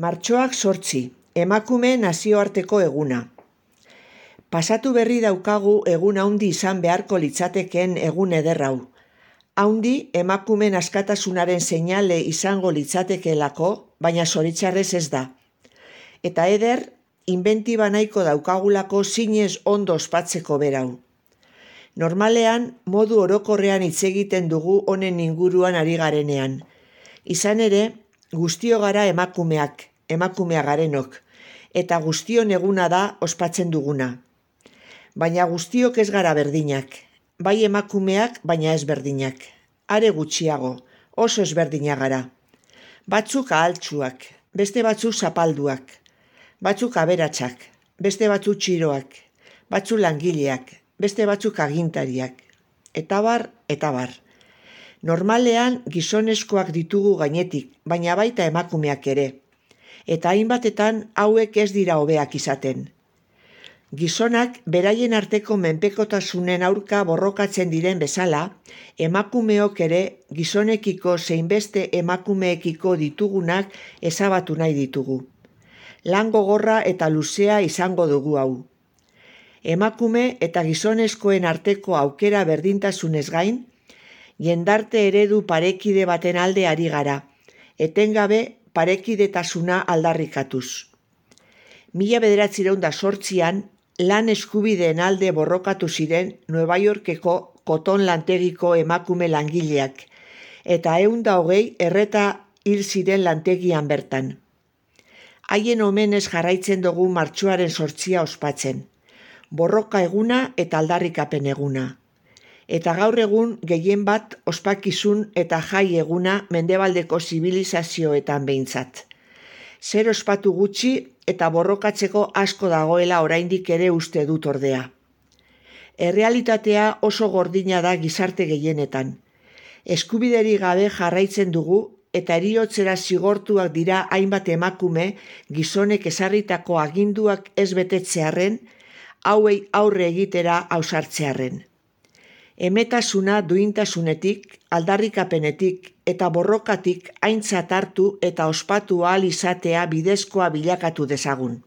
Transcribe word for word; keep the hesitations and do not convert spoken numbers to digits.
Martxoak zortzi, emakume nazioarteko eguna. Pasatu berri daukagu egun haundi izan beharko litzatekeen egun eder hau. Haundi emakumeen askatasunaren seinale izango litzatekeelako, baina zoritxarrez ez da. Eta eder, inbentiba nahiko daukagulako zinez ondo ospatzeko berau. Normalean, modu orokorrean hitz egiten dugu honen inguruan ari garenean. Izan ere, guztio gara emakumeak, emakumea garenok, eta guztion eguna da ospatzen duguna. Baina guztiok ez gara berdinak, bai emakumeak, baina ez berdinak. Are gutxiago, oso ezberdinak gara. Batzuk ahaltsuak, beste batzuk zapalduak, batzuk aberatsak, beste batzuk txiroak, batzuk langileak, beste batzuk agintariak, eta bar, eta bar. Normalean gizonezkoak ditugu gainetik, baina baita emakumeak ere. Eta hainbatetan hauek ez dira hobeak izaten. Gizonak beraien arteko menpekotasunen aurka borrokatzen diren bezala, emakumeok ere gizonekiko zein beste emakumeekiko ditugunak ezabatu nahi ditugu. Lan gogorra eta luzea izango dugu hau. Emakume eta gizonezkoen arteko aukera berdintasunez gain, jendarte eredu parekide baten alde ari gara, etengabe parekidetasuna aldarrikatuz. Mila bederatziehun eta zortzian, lan eskubideen alde borrokatu ziren Nueva Yorkeko koton lantegiko emakume langileak, eta ehun eta hogei erreta hil ziren lantegian bertan. Haien omenez jarraitzen dugu martxoaren zortzia ospatzen. Borroka eguna eta aldarrikapen eguna. Eta gaur egun gehien bat ospakizun eta jai eguna mendebaldeko zibilizazioetan behintzat. Zer ospatu gutxi eta borrokatzeko asko dagoela oraindik ere uste dut ordea. Errealitatea oso gordina da gizarte gehienetan. Eskubideri gabe jarraitzen dugu eta heriotzera zigortuak dira hainbat emakume gizonek ezarritako aginduak ez betetzearren, hauei aurre egitera ausartzearren. Emetasuna duintasunetik, aldarrikapenetik eta borrokatik aintzat hartu eta ospatu ahal izatea bidezkoa bilakatu dezagun.